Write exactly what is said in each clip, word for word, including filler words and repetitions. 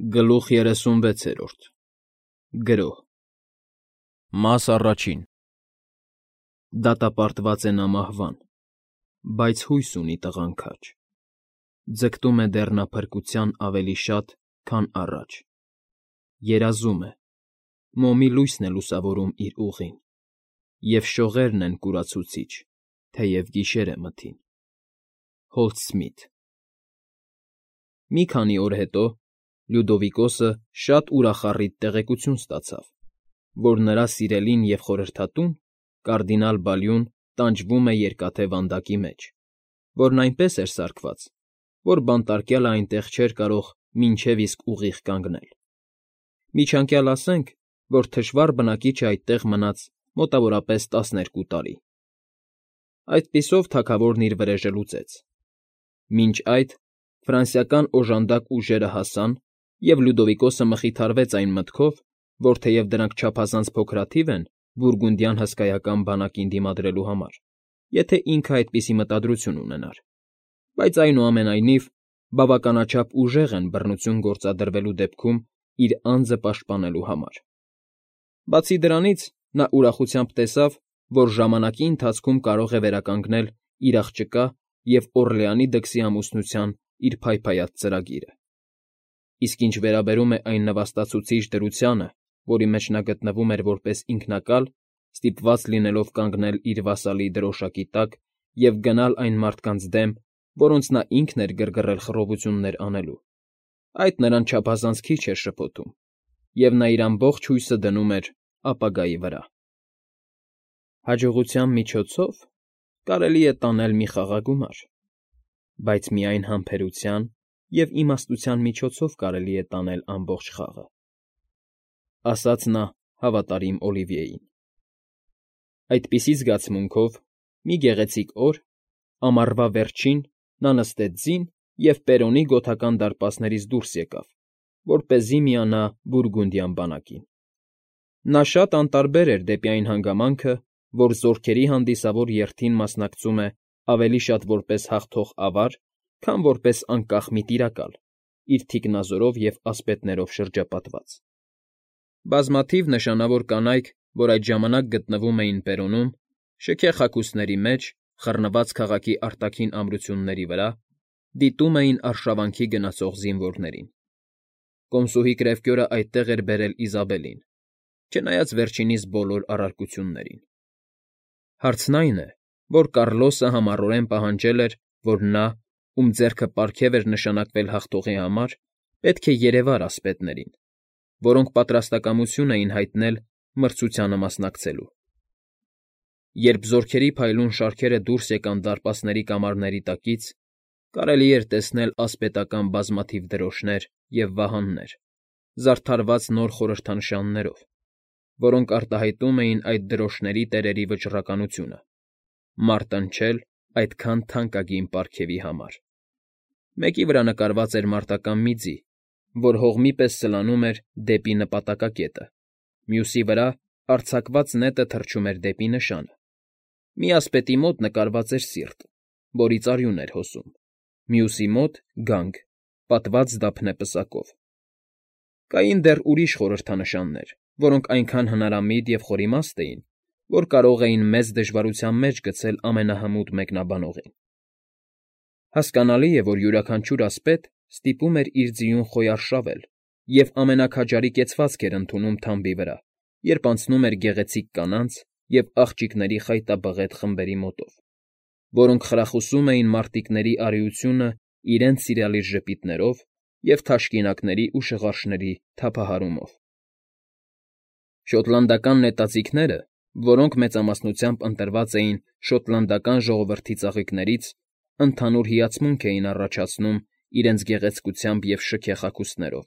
Գլուխ երեսունվեցերորդ Գրոհ Մաս առաջին Դատապարտված է նա մահվան, բայց հույս ունի տղան քաջ, ձգտում է դեռ նա փրկության ավելի շատ, քան առաջ, երազում է, մոմի լույսն է լուսավորում իր ուղին, և շողերն են կուրացուցիչ, թեև գիշեր է մթին։ Հոլթ Սմիթ Մի քանի օր հետո Լյուդովիկոսը շատ ուրախառիթ տեղեկություն ստացավ, որ նրա սիրելին և խորհրդատուն՝ կարդինալ Բալյուն, տանջվում է Երկաթե Վանդակի մեջ, որն այնպես էր սարքված, որ բանտարկյալը այնտեղ չէր կարող մինչև իսկ ուղիղ կանգնել։ Միջանկյալ ասենք, որ թշվառ բնակիչը այդտեղ մնաց մոտավորապես տասներկու տարի։ Այդպիսով թագավորն իր վրեժը լուծեց։ Մինչ այդ ֆրանսիական օժանդակ ուժերը հասան, և Լյուդովիկոսը մխիթարվեց այն մտքով, որ թեև դրանք չափազանց փոքրաթիվ են բուրգունդյան հսկայական բանակին դիմադրելու համար, եթե ինքը այդպիսի մտադրություն ունենար, բայց այնուամենայնիվ բավականաչափ ուժեղ են բռնություն գործադրվելու դեպքում իր անձը պաշտպանելու համար։ Բացի դրանից, նա ուրախությամբ տեսավ, որ ժամանակի ընթացքում կարող է վերականգնել իր աղջկա և Օռլեանի դքսի ամուսնության իր փայփայած ծրագիրը։ Իսկ ինչ վերաբերում է այն նվաստացուցիչ դրությանը, որի մեջ նա գտնվում էր որպես ինքնակալ, ստիպված լինելով կանգնել իր վասալի դրոշակի տակ և գնալ այն մարդկանց դեմ, որոնց նա ինքն էր գրգռել խռովություններ անելու, այդ նրան չափազանց քիչ էր շփոթում, և նա իր ամբողջ հույսը դնում էր ապագայի վրա։ Հաջողության միջոցով կարելի է տանել մի խաղաղագումար, բայց միայն համբերության և իմաստության միջոցով կարելի է տանել ամբողջ խաղը, ֊ ասաց նա հավատարիմ Օլիվիեին։ Այդպիսի զգացմունքով մի գեղեցիկ օր, ամառվա վերջին, նա նստեց ձին և Պերոնի գոթական դարպասներից դուրս եկավ, որպեսզի միանա բուրգունդյան բանակին։ Նա շատ անտարբեր էր դեպի այն հանգամանքը, որ զորքերի հանդիսավոր երթին մասնակցում է ավելի շատ որպես հաղթող ավար, քան որպես անկախ մի տիրակալ՝ իր թիկնազորով և ասպետներով շրջապատված։ Բազմաթիվ նշանավոր կանայք, որ այդ ժամանակ գտնվում էին Պերոնում, շքեղ հագուստների մեջ, խռնված քաղաքի արտաքին ամրությունների վրա, դիտում էին արշավանքի գնացող զինվորներին։ Կոմսուհի Կրևկյորը այդտեղ էր բերել Իզաբելին, չնայած վերջինիս բոլոր առարկություններին։ Հարցն այն է, որ Կառլոսը համառորեն պահանջել էր, որ նա, ում ձեռքը պարգև էր նշանակվել հաղթողի համար, պետք է երևար ասպետներին, որոնք պատրաստակամություն էին հայտնել մրցությանը մասնակցելու։ Երբ զորքերի փայլուն շարքերը դուրս եկան դարպասների կամարների տակից, կարելի էր տեսնել ասպետական բազմաթիվ դրոշներ և վահաններ, զարդարված նոր խորհրդանշաններով, որոնք արտահայտում էին այդ դրոշների տերերի վճռականությունը՝ մարտնչել այդքան թանկագին պարգևի համար։ Մեկի վրա նկարված էր մարտական մի ձի, որ հողմի պես սլանում էր դեպի նպատակակետը, մյուսի վրա արձակված նետը թռչում էր դեպի նշանը, մի ասպետի մոտ նկարված էր սիրտ, որից արյուն էր հոսում, մյուսի մոտ՝ գանգ, պատված դափնե պսակով։ Կային դեռ ուրիշ խորհրդանշաններ, որոնք այնքան հնարամիտ և խորիմաստ էին, որ կարող էին մեծ դժվարության մեջ գցել ամենահմուտ մեկնաբանողին։ Հասկանալի է, որ յուրաքանչյուր ասպետ ստիպում էր իր ձիուն խոյարշավել և ամենաքաջարի կեցվածք էր ընդունում թամբի վրա, երբ անցնում էր գեղեցիկ կանանց և աղջիկների խայտաբղետ խմբերի մոտով, որոնք խրախուսում էին մարտիկների արիությունը իրենց սիրալիր ժպիտներով և թաշկինակների ու շղարշների թափահարումով։ Շոտլանդական նետաձիգները, որոնք մեծամասնությամբ ընտրված էին շոտլանդական ժողովրդի ծաղիկներից, ընդհանուր հիացմունք էին առաջացնում իրենց գեղեցկությամբ և շքեղ հագուստներով։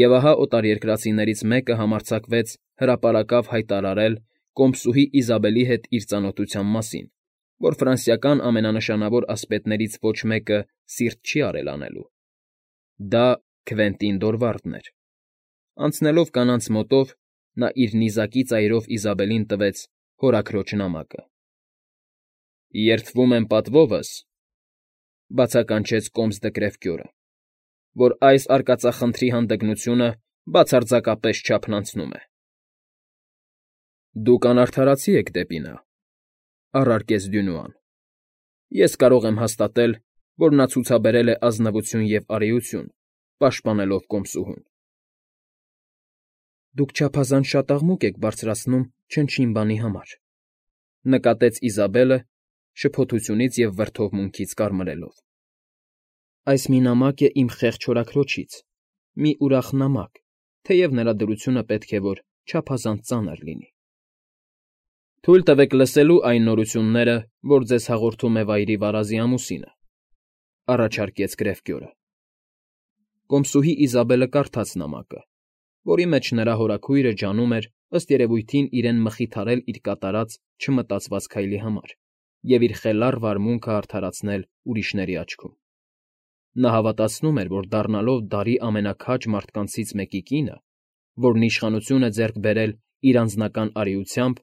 Եվ ահա օտարերկրացիներից մեկը համարձակվեց հրապարակավ հայտարարել կոմսուհի Իզաբելի հետ իր ծանոթության մասին, որ ֆրանսիական ամենանշանավոր ասպետներից ոչ մեկը սիրտ չի արել անելու։ Դա Քվենտին Դորվարդն էր։ Անցնելով կանանց մոտով, նա իր նիզակի ծայրով Իզաբելին տվեց հորաքրոջ նամակը։ ֊ Երդվում եմ պատվովս, ֊ բացականչեց կոմս դը Կրևկյորը, որ այս արկածախնդրի հանդգնությունը բացարձակապես չափն անցնում է։ ֊ Դուք անարդարացի եք դեպի նա,֊ առարկեց Դյունուան։ Ես կարող եմ հաստատել, որ նա ցուցաբերել է ազնվություն և արիություն, պաշտպանելով կոմսուհուն։ ֊ Դուք չափազանց շատ աղմուկ եք բարձրացնում չնչին բանի համար,֊ նկատեց Իզաբելը՝ շփոթությունից և վրդովմունքից կարմրելով։ ֊ Այս մի նամակ է իմ խեղճ հորաքրոջից, մի ուրախ նամակ, թեև նրա դրությունը պետք է որ չափազանց ծանր լինի։ ֊ Թույլ տվեք լսելու այն նորությունները, որ ձեզ հաղորդում է վայրի վարազի ամուսինը,֊ առաջարկեց Գրեֆկյորը։ Կոմսուհի Իզաբելը կարդաց նամակը, որի մեջ նրա հորաքույրը ջանում էր, ըստ երևույթին, իրեն մխիթարել իր կատարած չմտածված քայլի համար և իր խելառ վարմունքը արդարացնել ուրիշների աչքում։ Նա հավատացնում էր, որ դառնալով դարի ամենաքաջ մարդկանցից մեկի կինը, որն իշխանություն է ձեռք բերել իր անձնական արիությամբ,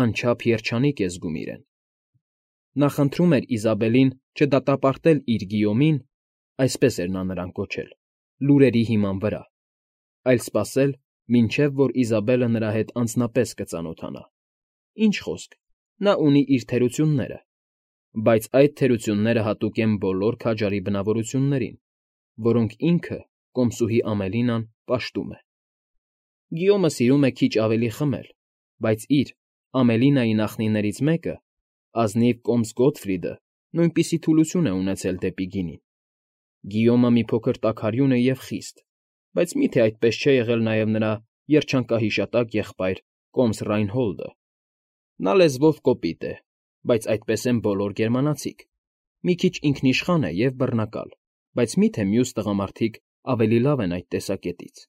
անչափ երջանիկ է զգում իրեն։ Նա խնդրում էր Իզաբելին չդատապարտել իր Գիյոմին (այսպես էր նա նրան կոչել) լուրերի հիման վրա, այլ սպասել, մինչև որ Իզաբելը նրա հետ անձնապես կծանոթանա։ Ինչ խոսք, նա ունի իր թերությունները, բայց այդ թերությունները հատուկ են բոլոր քաջարի բնավորություններին, որոնք ինքը, կոմսուհի Ամելինան, պաշտում է։ Գիյոմը սիրում է քիչ ավելի խմել, բայց իր՝ Ամելինայի նախնիներից մեկը, ազնիվ կոմս Գոտֆրիդը, նույնպիսի թուլություն է ունեցել դեպի գինին։ Գիյոմը մի փոքր տաքարյուն է և խիստ, բայց մի՞թե այդպես չէ եղել նաև նրա երջանկահիշատակ եղբայր կոմս Ռայնհոլդը։ Նա լեզվով կոպիտ է, բայց այդպես են բոլոր գերմանացիք, մի քիչ ինքնիշխան է և բռնակալ, բայց մի՞թե մյուս տղամարդիկ ավելի լավ են այդ տեսակետից։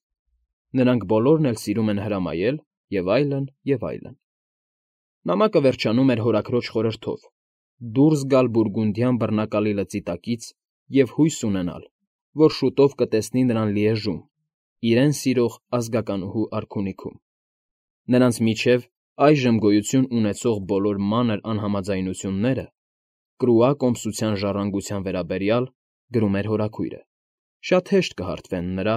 Նրանք բոլորն էլ սիրում են հրամայել, և այլն, և այլն։ Նամակը վերջանում էր հորաքրոջ խորհրդով՝ դուրս գալ բուրգունդյան բռնակալի լծի տակից և հույս ունենալ, որ շուտով կտեսնի նրան Լիեժում, իրեն սիրող ազգականուհու արքունիքում։ Նրանց միջև այժմ գոյություն ունեցող բոլոր մանր անհամաձայնությունները, կրուա կոմսության ժառանգության վերաբերյալ, գրում էր հորաքույրը, շատ հեշտ կհարթվեն նրա՝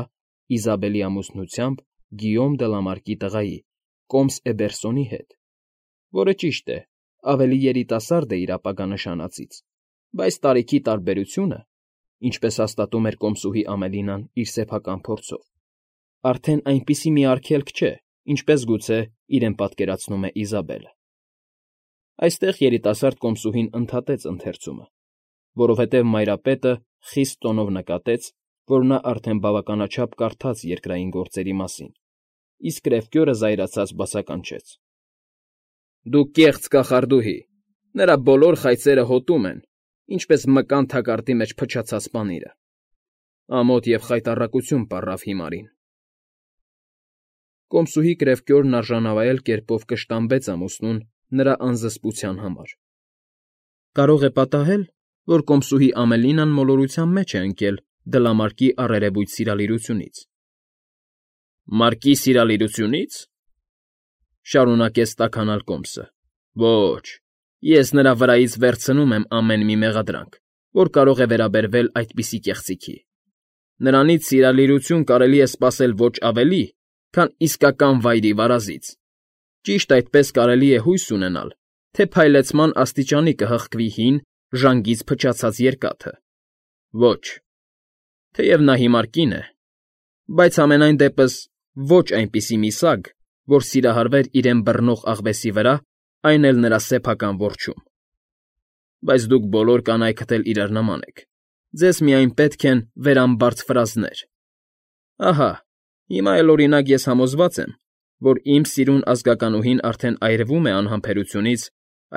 Իզաբելի ամուսնությամբ Գիյոմ դը Լամարկի տղայի՝ կոմս Էբերսոնի հետ, որը, ճիշտ է, ավելի երիտասարդ է իր ապագա նշանածից, բայց տարիքի տարբերությունը, ինչպես հաստատում էր կոմսուհի Ամելինան իր սեփական փորձով, արդեն այնպիսի մի արգելք չէ, ինչպես գուցե իրեն պատկերացնում է Իզաբելը։ Այստեղ երիտասարդ կոմսուհին ընդհատեց ընթերցումը, որովհետև մայրապետը խիստ տոնով նկատեց, որ նա արդեն բավականաչափ կարդաց երկրային գործերի մասին, իսկ Գրեֆկյորը զայրացած բացականչեց. ֊ Դու կեղծ կախարդուհի, նրա բոլոր խայծերը հոտում են, ինչպես մկան թակարդի մեջ փչացած պանիրը։ Ամոթ և խայտառակություն պառավ հիմարին։ Կոմսուհի Գրեֆկյորն արժանավայել կերպով կշտամբեց ամուսնուն նրա անզսպության համար։ Կարող է պատահել, որ կոմսուհի Ամելինան մոլորության մեջ է ընկել Դլամարկի առերևույթ սիրալիրությունից։ ֊ Մարկի սիրալիրությունի՞ց,֊ շարունակեց տաքանալ կոմսը։ Ոչ, ես նրա վրայից վերցնում եմ ամեն մի մեղադրանք, որ կարող է վերաբերվել այդպիսի կեղծիքի։ Նրանից սիրալիրություն կարելի է սպասել ոչ ավելի, քան իսկական վայրի վարազից։ Ճիշտ այդպես կարելի է հույս ունենալ, թե փայլեցման աստիճանի կհղկվի հին, ժանգից փչացած երկաթը։ Ոչ, թեև նա հիմար կին է, բայց համենայն դեպս ոչ այնպիսի մի սագ, որ սիրահարվեր իրեն բռնող աղվեսի վրա, այն էլ նրա սեփական որջում։ Բայց դուք բոլոր կանայքդ էլ իրար նման եք, ձեզ միայն պետք են վերամբարձ ֆրազներ։ Ահա, հիմա էլ, օրինակ, ես համոզված եմ, որ իմ սիրուն ազգականուհին արդեն այրվում է անհամբերությունից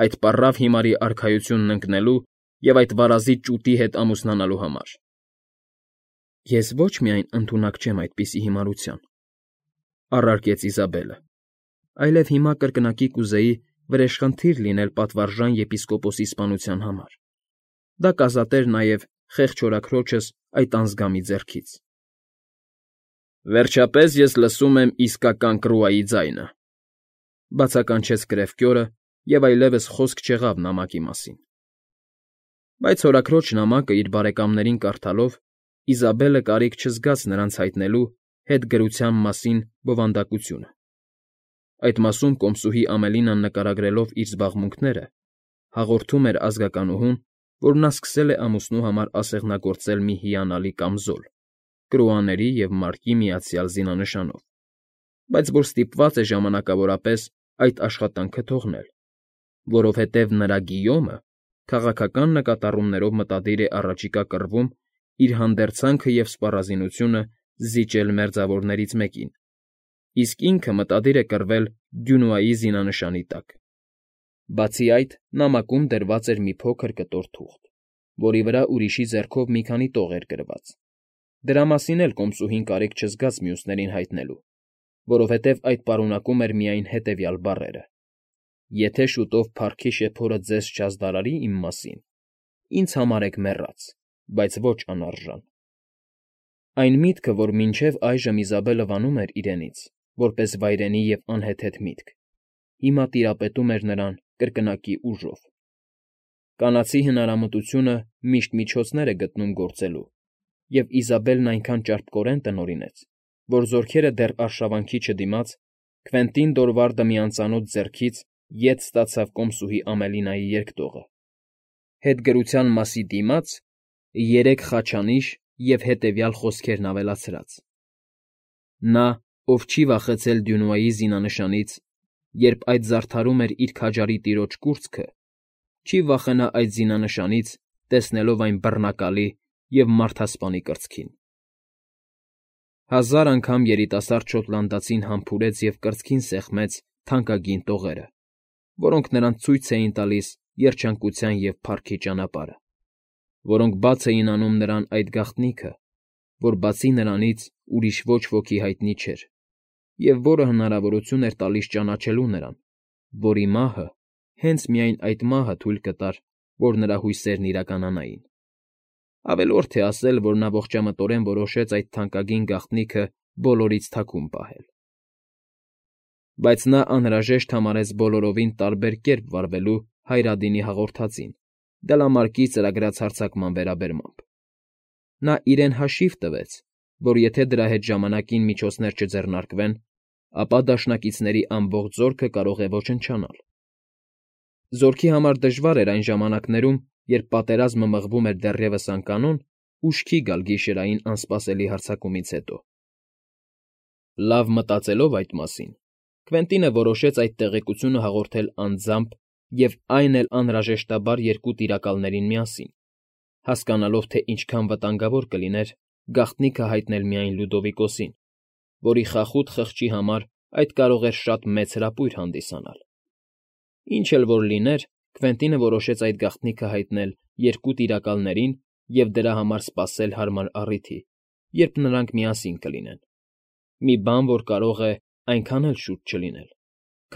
այդ պառավ հիմարի արքայությունն ընկնելու և այդ վարազի ճուտի հետ ամուսնանալու համար։ Ես ոչ միայն ընդունակ չեմ այդպիսի հիմարության, առարկեց Իզաբելը, այլև հիմա կրկնակի կուզեի վրեժխնդիր լինել պատվարժան եպիսկոպոսի սպանության համար։ Դա կազատեր նաև խեղճ հորաքրոջս այդ անզգամի ձեռքից։ Վերջապես ես լսում եմ իսկական կռուայի ձայնը,֊ բացականչեց Գրեֆկյորը, և այլևս խոսք չեղավ նամակի մասին։ Բայց հորաքրոջ նամակը իր բարեկամներին կարդալով, Իզաբելը կարիք չզգաց նրանց հայտնելու հետգրության մասին բովանդակությունը։ Այդ մասում կոմսուհի Ամելինան նկարագրելով իր զբաղմունքները, հաղորդում էր ազգականուհուն, որ նա սկսել է ամուսնու համար ասեղնագործել մի հիանալի կամզոլ, կրոաների և մարկի միացյալ զինանշանով, բայց որ ստիպված է ժամանակավորապես այդ աշխատանքը թողնել, որովհետև նրա Գիյոմը քաղաքական նկատառումներով մտադիր է առաջիկա կռվում իր հանդերձանքը և սպառազինությունը զիջել մերձավորներից մեկին, իսկ ինքը մտադիր է կռվել Դյունուայի զինանշանի տակ։ Բացի այդ, նամակում դրված էր մի փոքր կտոր թուղթ, որի վրա ուրիշի ձեռքով մի քանի տող էր գրված։ Դրա մասին էլ կոմսուհին կարիք չզգաց մյուսներին հայտնելու, որովհետև այդ պարունակում էր միայն հետևյալ բառերը. «Եթե շուտով փառքի շեփորը ձեզ չազդարարի իմ մասին, ինձ համարեք մեռած, բայց ոչ անարժան»։ Այն միտքը, որ մինչև այժմ Իզաբելը վանում էր իրենից, որպես վայրենի և անհեթեթ միտք, հիմա տիրապետում էր նրան կրկնակի ուժով։ Կանացի հնարամտությունը միշտ միջոցներ է գտնում գործելու, և Իզաբելն այնքան ճարպկորեն տնօրինեց, որ զորքերը դեռ արշավանքի չդիմաց, Քվենտին Դորվարդը մի անծանոթ ձեռքից ետ ստացավ կոմսուհի Ամելինայի երկտողը, հետգրության մասի դիմաց երեք խաչանիշ և հետևյալ խոսքերն ավելացրած. «Նա, ով չի վախեցել Դյունուայի զինանշանից, երբ այդ զարդարում էր իր քաջարի տիրոջ կուրծքը, չի վախենա այդ զինանշանից, տեսնելով այն բռնակալի և մարդասպանի կրծքին»։ Հազար անգամ երիտասարդ շոտլանդացին համբուրեց և կրծքին սեղմեց թանկագին տողերը, որոնք նրանց ցույց էին տալիս երջանկության և փառքի ճանապարհը, որոնք բաց էին անում նրան այդ գաղտնիքը, որ բացի նրանից ուրիշ ոչ ոքի հայտնի չէր, և որը հնարավորություն էր տալիս ճանաչելու նրան, որի մահը, հենց միայն այդ մահը թույլ կտար, որ նրա հույսերն իրականանային։ Ավելորդ է ասել, որ նա ողջամտորեն որոշեց այդ թանկագին գաղտնիքը բոլորից թաքուն պահել։ Բայց նա անհրաժեշտ համարեց բոլորովին տարբեր կերպ վարվելու Հայրադինի հաղորդածին Դլամարկի ծրագրած հարձակման վերաբերմամբ։ Նա իրեն հաշիվ տվեց, որ եթե դրա հետ ժամանակին միջոցներ չձեռնարկվեն, ապա դաշնակիցների ամբողջ զորքը կարող է ոչնչանալ։ Զորքի համար դժվար էր այն ժամանակներում, երբ պատերազմը մղվում էր դեռևս անկանոն, ուշքի գալ գիշերային անսպասելի հարձակումից հետո։ Լավ մտածելով այդ մասին, Քվենտինը որոշեց այդ տեղեկությունը հաղորդել անձամբ և այն էլ անհրաժեշտաբար երկու տիրակալներին միասին, հասկանալով, թե ինչքան վտանգավոր կլիներ գաղտնիքը հայտնել միայն Լյուդովիկոսին, որի խախուտ խղճի համար այդ կարող էր շատ մեծ հրապույր հանդիսանալ։ Ինչ էլ որ լիներ, Քվենտինը որոշեց այդ գաղտնիքը հայտնել երկու տիրակալներին և դրա համար սպասել հարմար առիթի, երբ նրանք միասին կլինեն։ Մի բան, որ կարող է այնքան էլ շուտ չլինել,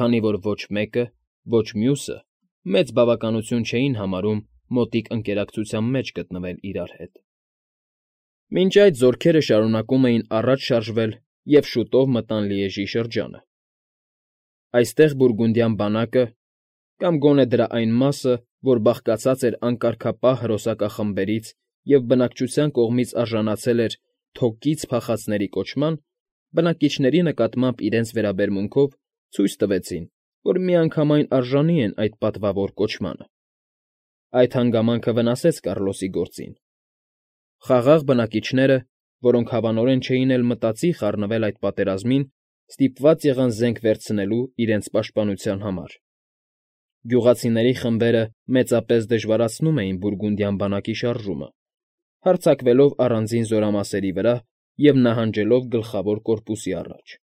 քանի որ ոչ մեկը, ոչ մյուսը մեծ բավականություն չէին համարում մոտիկ ընկերակցության մեջ գտնվել իրար հետ։ Մինչ այդ զորքերը շարունակում էին առաջ շարժվել և շուտով մտան Լիեժի շրջանը։ Այստեղ բուրգունդյան բանակը, կամ գոնե դրա այն մասը, որ բաղկացած էր անկարգապահ հրոսակախմբերից և բնակչության կողմից արժանացել էր «թոկից փախածների» կոչման, բնակիչների նկատմամբ իրենց վերաբերմունքով ցույց տվեցին, որ միանգամայն արժանի են այդ պատվավոր կոչմանը։ Այդ հանգամանքը վնասեց Կառլոսի գործին։ Խաղաղ բնակիչները, որոնք հավանորեն չէին էլ մտածի խառնվել այդ պատերազմին, ստիպված եղան զենք վերցնելու իրենց պաշտպանության համար։ Գյուղացիների խմբերը մեծապես դժվարացնում էին բուրգունդյան բանակի շարժումը, հարձակվելով առանձին զորամասերի վրա և նահանջելով գլխավոր կորպուսի առաջ։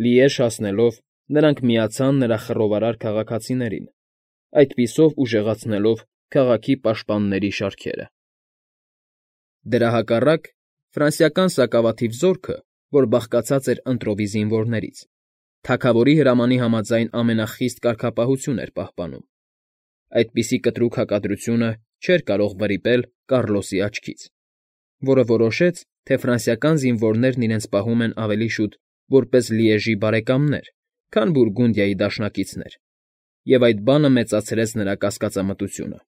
Լիեժ հասնելով՝ նրանք միացան նրա խռովարար քաղաքացիներին, այդպիսով ուժեղացնելով քաղաքի պաշտպանների շարքերը։ Դրա հակառակ, ֆրանսիական սակավաթիվ զորքը, որ բաղկացած էր ընտրովի զինվորներից, թագավորի հրամանի համաձայն ամենախիստ կարգապահություն էր պահպանում։ Այդպիսի կտրուկ հակադրությունը չէր կարող վրիպել Կառլոսի աչքից, որը որոշեց, թե ֆրանսիական զինվորներն իրենց պահում են ավելի շուտ որպես Լիեժի բարեկամներ, քան Բուրգունդիայի դաշնակիցներ, և այդ բանը մեծացրեց նրա կասկածամտությունը։